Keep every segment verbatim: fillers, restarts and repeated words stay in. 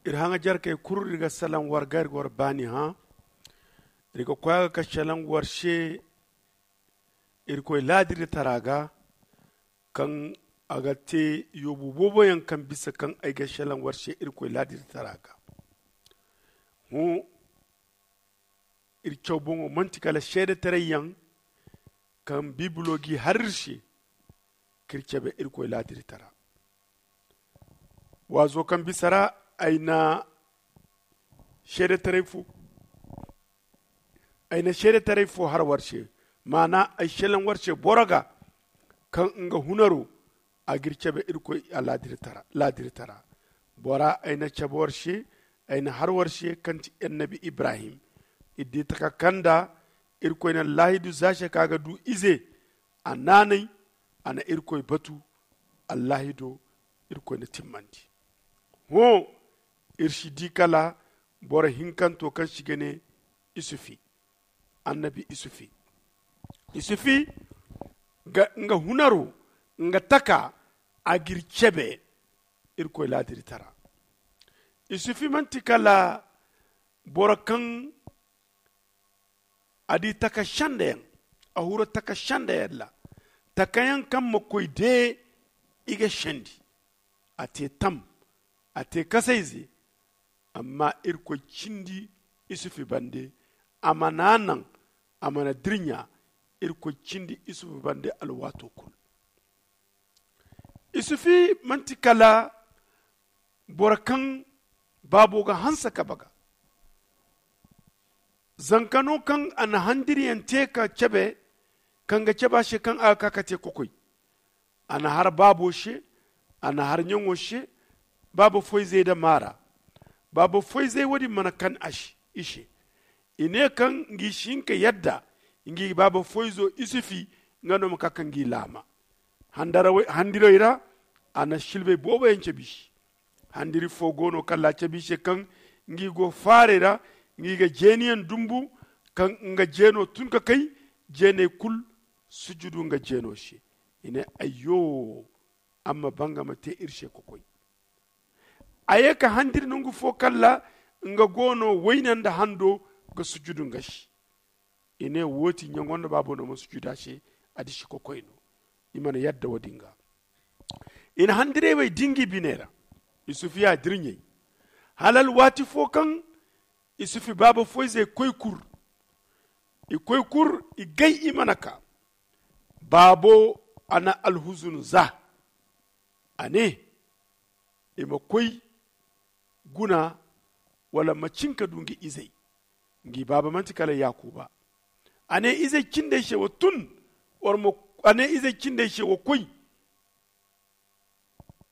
Iri haŋajarkey kulu iri ga salaŋ war ga iri ga war baani hã. Iri ga koy a ga ka salaŋ war se irkoy laadirdi tara ga, kaŋ a ga te yoobu boobo yaŋ kaŋ bisa kaŋ ay ga salaŋ war se irkoy laadirdi tara ga. Hõ iri caw boŋo manti kala seedetaray yaŋ kaŋ biibilo g'i har iri se k'iri cabe irkoy laadirdi tara. Waazo kaŋ bisa ra ay na seedetaray fo ay na seedetaray fo har war se, maana ay selaŋ war se boro ga kaŋ nga hunaro a g'iri cabe irkoy a laadirdi tara. Bora ay na cabe war se, ay na har war se kaŋ ti annabi ibrahim. Iri di taka kaŋ da irkoy na laahidu za se ka ga du ize. A naanay a na irkoy batu. Allaahido irkoy na timmandi. Hõ iri si di kala boro hinkanto kaŋ si ga ne isufi. Annabi isufi isufi nga hunaro nga taka a g'iri cebe. Irkoy laadirdi tara isufi manti kala boro kaŋ a di taka senda yaŋ. A huru taka senda yaŋ ra taka yaŋ kaŋ ma koy de i ga sendi. A te tam a te kasayze. Amma irkoy cindi isufi bande a mana naŋ a mana dirɲa. Irkoy cindi isufi bande alwaato kulu. Isufi manti kala boro kaŋ baabo ga hanse ka baga. Zanka no kaŋ a na handiriyaŋ te ka cabe kaŋ ga cabe a se kaŋ a ga ka ka te kokoy. A na har baabo se a na har ɲaŋo se. Baabo foyzey nda maara baabo foyzey wo- din mana kan i se. I ne kaŋ ngi si hin ka yadda ngi baabo foyzo isufi nga no ma ka ka ngi laama. Handirey ra a na silbey boobo yaŋ cabe i se. Handiri fo go no kaŋ laacabi se kaŋ ngi go faarey ra ngi ga jeeniyaŋ dumbu kaŋ nga jeeno tun ka kay jeeney kulu sujudu nga jeeno se. I ne ayyo. Amma banga ma te iri se kokoy. A ye ka handiri nangu fo kaŋ ra nga go no wayne nda hando ga sujudu nga se. I ne wo- ti ɲaŋo nda baabo no ma sujuda se. A disi kokoy no. I mana yadda wo- din ga i na handirey wey dingi biney ra. Isufi ya dirɲey hala alwaati fo kaŋ isufi baabo foyzey koy kur. I koy kur i gay i mana ka. Baabo a na alhuzunu za. A ne i ma koy guna wala ma cin ka du ngi izey. Ngi baaba manti kala yaakuba. A ne izey cindey se wa tun. A ne izey cindey se wa koy.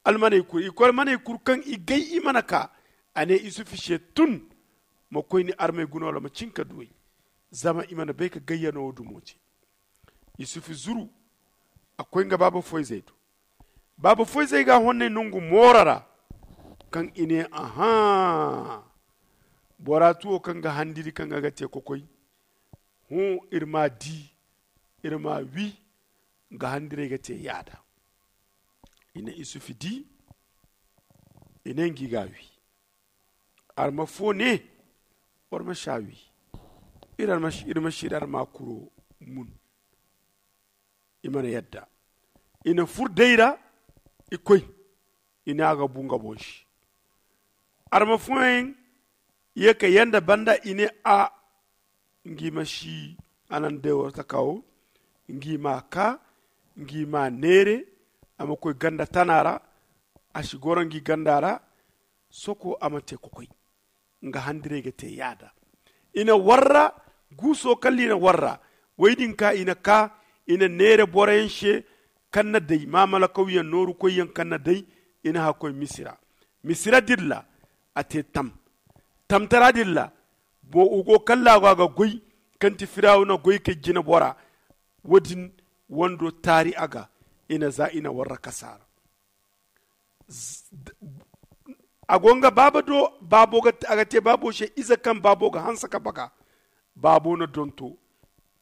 Almaney kuru i koy almaney kuru kaŋ i gay i mana ka. A ne isufi se tun ma koy ni armey guna wala ma cin ka du ay. Zama i mana bay ka gayyano wo dumo te. Isufi zuru a koy nga baaba foyzey do. Baaba foyzey ga a honnay nangu mooro ra kaŋ i ne ahã. Bora tuwo kaŋ ga handiri kaŋ ga ga te kokoy. Hõ iri ma di iri ma wi. Nga handirey ga te yaada. I na isufi di i ne ngi ga wi. Arma fo ne war ma si a wi. Iri ma si iri arma kuro mun. I mana yadda i na fur day ra. I koy i ne a ga bu nga boŋ se. Arma fooyaŋ ye ka yanda banda i ne a ngi ma si a naŋ day war taka wo. Ngi ma ka ngi ma neere. A ma koy ganda tana ra. A si goro ngi ganda ra. Soko a ma te kokoy. Nga handirey ga te yaada. I na warra guuso kala i na warra. Way din ka i na ka i na neere boroyaŋ se kaŋ na day maamalakawyaŋ nooru koyyaŋ kaŋ na day. I na hakoy misira. Misira dilla a te tam. Tamtara dilla. Wo go kallaago a ga goy kaŋ ti firawuna goy ka jina bora. Wo- din wando taari a ga. I na za i na warra kasaara. A go nga baaba do. A ga te baabo se ize kaŋ baabo ga hanse ka baga. Baabo na donto.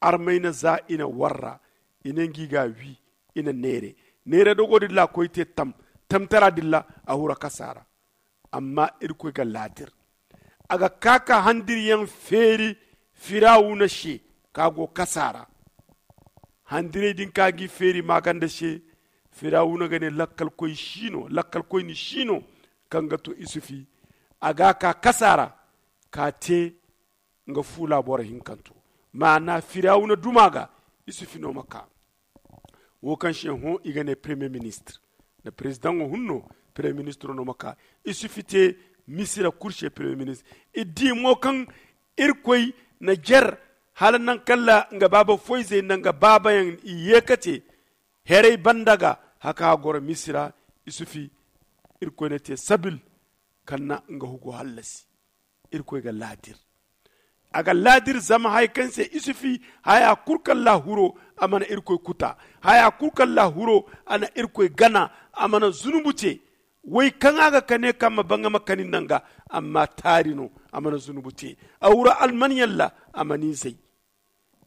Armay na za i na warra. I na ngi ga wi. I na neere. Neere dogo dilla a koy te tam. Tamtara dilla a hura kasaara. Amma irkoy ga laadir. A ga kaa ka handiryaŋ feeri firawuna se ka go kasa ra. Handirey din ka gi feeri maaganda se, firawuna ga ne lakkalkoy si no lakkalkoyni si no. Kaŋ ga to isufi a ga ka kasa ra ka te nga fuula boro hinkanto. Maana firawuna duma ga isufi no ma ka. Wo kaŋ se hõ i ga ne premier ministre nda président wo hunno, premier ministre no ma ka. Isufi te misira kulu se premier ministre. I di mo kaŋ irkoy na jer hala naŋ kala nga baaba foyzey nda nga baabayaŋ i ye ka te herey banda ga haka a goro misira. Isufi irkoy na te sabil kaŋ na nga hugo hallasi. Irkoy ga laadir. A ga laadir zama haya kaŋ se isufi haya kulu kaŋ laahuro a mana irkoy kuta. Haya kulu kaŋ laahuro a na irkoy gana. A mana zunubu te. Way kaŋ a ga kane kaŋ ma baŋ a ma kani nda nga. Amma taari no a mana zunubu te. A wura almanyaŋ ra a mana izey.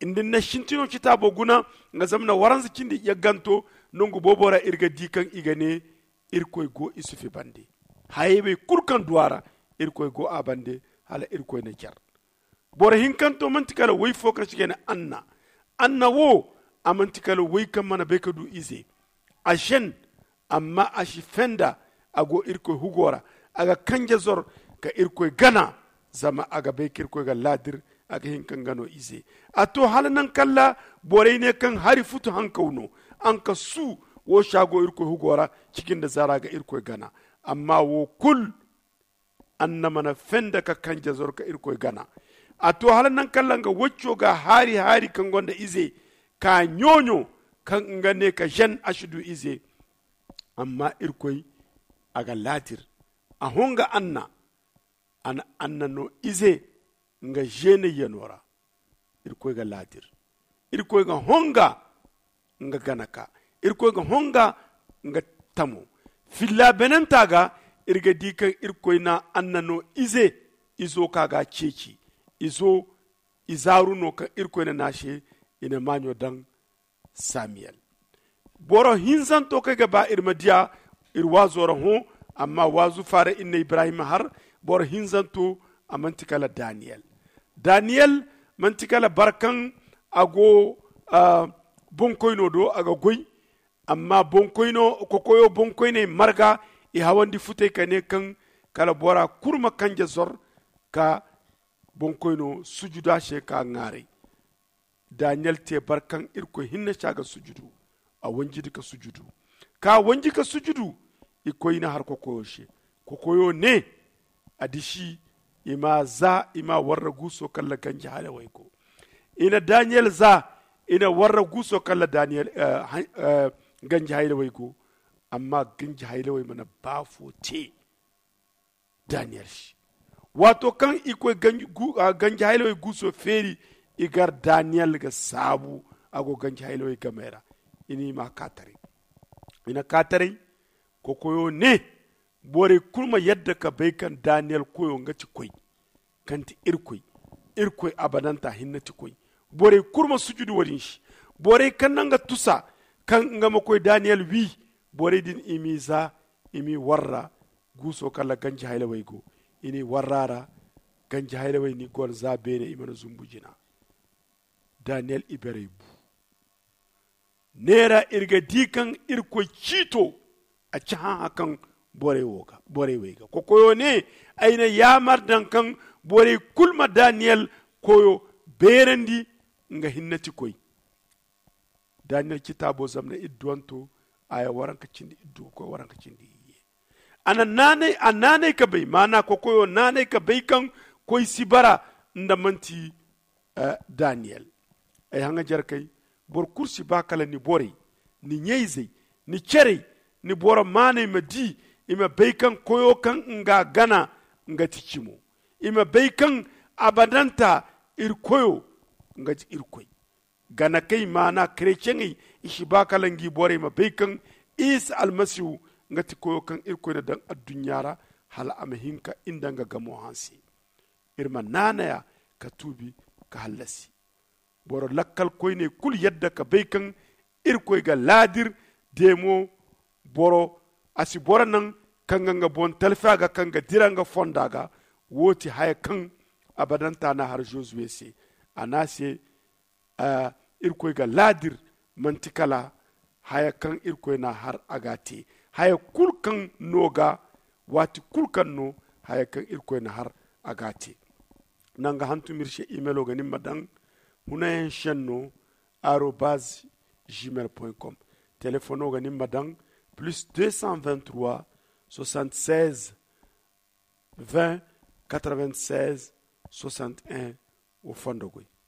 Inda ni na sintino citaabo guna nga zama na waranza cindi yagganto. Nangu boobo ra iri ga di kaŋ i ga ne irkoy go isufi bande. Hayey bay kulu kaŋ du a ra irkoy go a bande. Hala irkoy na jar. Boro hinkanto manti kala way fo kaŋ si ga ne anna. Anna wo a manti kala way kaŋ mana bay ka du ize. A sen amma a si fenda. A go irkoy hugo ra. A ga kanje zor ka irkoy gana. Zama a ga bay ka irkoy ga laadir. A ga hin ka nga no ize. A to hala naŋ kala borey ne kaŋ hari futu hankaw no. Anka su wo si a go irkoy hugo ra. Cikin da zara ga irkoy gana. Amma wo kulu anna mana fenda ka kanje zor ka irkoy gana. A to hala naŋ kala nga wacco ga haari haari kaŋ gonda ize ka ɲooɲo kaŋ nga ne ka zen a si du ize. Amma irkoy a ga laadir. A honga anna a na anna no ize nga zeenayyano ra. Irkoy ga laadir. Irkoy ga honga nga gana ka irkoy ga honga nga tamo. Filla benanta ga iri ga di kaŋ irkoy na anna no ize. Izo ka ga ceeci izo izaaru no kaŋ irkoy na naase. I na maaɲo daŋ samiyel. Boro hinzanto kaŋ ay ga ba iri ma diya iri waazo ra hõ. Amma waazu faara iri na ibrahim har boro hinzanto a manti kala daniyel. Daniyel manti kala barkaŋ a go bonkoyno do a ga goy. Amma bonkoyno kokoyo bonkoyney marga i hawandi futey ka ne kaŋ kala bora kulu ma kanje zor ka bonkoyno sujuda se ka ŋaaray. Daniyel te barkaŋ irkoy hinne se a ga sujudu. A wanjidi ka sujudu ka wanji ka sujudu. I koy i na har kokoyo se. Kokoyo ne a disi i ma za i ma warra guuso kala ganji haylawey go. I na daniyel za i na warra guuso kala daniyel ganji haylawey go. Amma ganji haylawey mana baafo te daniyel se. Waato kaŋ i koy ganji haylawey guuso feeri i gar daniyel ga saabu a go ganji haylawey gamey ra. I na i ma kaataray i na kaataray. Kokoyo ne borey kulu ma yadda ka bay kaŋ daniyel koyo nga ti koy kaŋ ti irkoy. Irkoy abadanta hinne ti koy. Borey kulu ma sujudu wo-din se. Borey kaŋ naŋ ga tusa kaŋ nga ma koy daniyel wi. Borey din i m'i za i m'i warra guuso kala ganji haylawey go. I n'i warra ra ganji haylawey n'i goro za beene i mana zumbu jina. Daniyel iberey bu. Neera iri ga di kaŋ irkoy ciito a ci hãhã kaŋ borey wey ga kokoyo ne ay na yaamar daŋ kaŋ borey kulu ma daniyel koyo beerandi. Nga hinne ti koy daniyel citaabo zamna idduwanto aya waranka cindi iddu ga koy waranka cindi iyye. A naanay ka bay maana kokoyo naanay ka bay kaŋ koy si bara nda manti daniyel. Ay haŋajarkey boro kulu si ba kala ni borey, ni ɲayzey, ni cerey, ni boro maaney ma di i ma bay kaŋ koyo kaŋ nga gana nga ti cimo. I ma bay kaŋ abadanta iri koyo nga ti iri koy. Ganakey maana kereceŋey i si ba kala ngi borey ma bay kaŋ isa almasihu nga ti koyo kaŋ irkoy na daŋ adduɲɲa ra hala a ma hin ka i nda nga gamo hanse. Iri ma naanaya ka tuubi ka hallasi. Boro lakkalkoyney kulu yadda ka bay kaŋ irkoy ga laadir deemo. Boro a si boro naŋ kaŋ ga nga boŋ talfi a ga kaŋ ga dira nga fonda ga. Wo ti haya kaŋ abadanta na har josuwe se. A na se irkoy ga laadir manti kala haya kaŋ irkoy na har a ga te. Haya kulu kaŋ no ga waati kulu kaŋ no haya kaŋ irkoy na har a ga te. Nanga hantum iri se imelo ga nin ma daŋ hunayaŋ senno arobaz gmail point com. Telefono ga nin ma daŋ plus deux cent vingt trois soixante seize vingt quatre vingt seize soixante un. Wo fondo goy.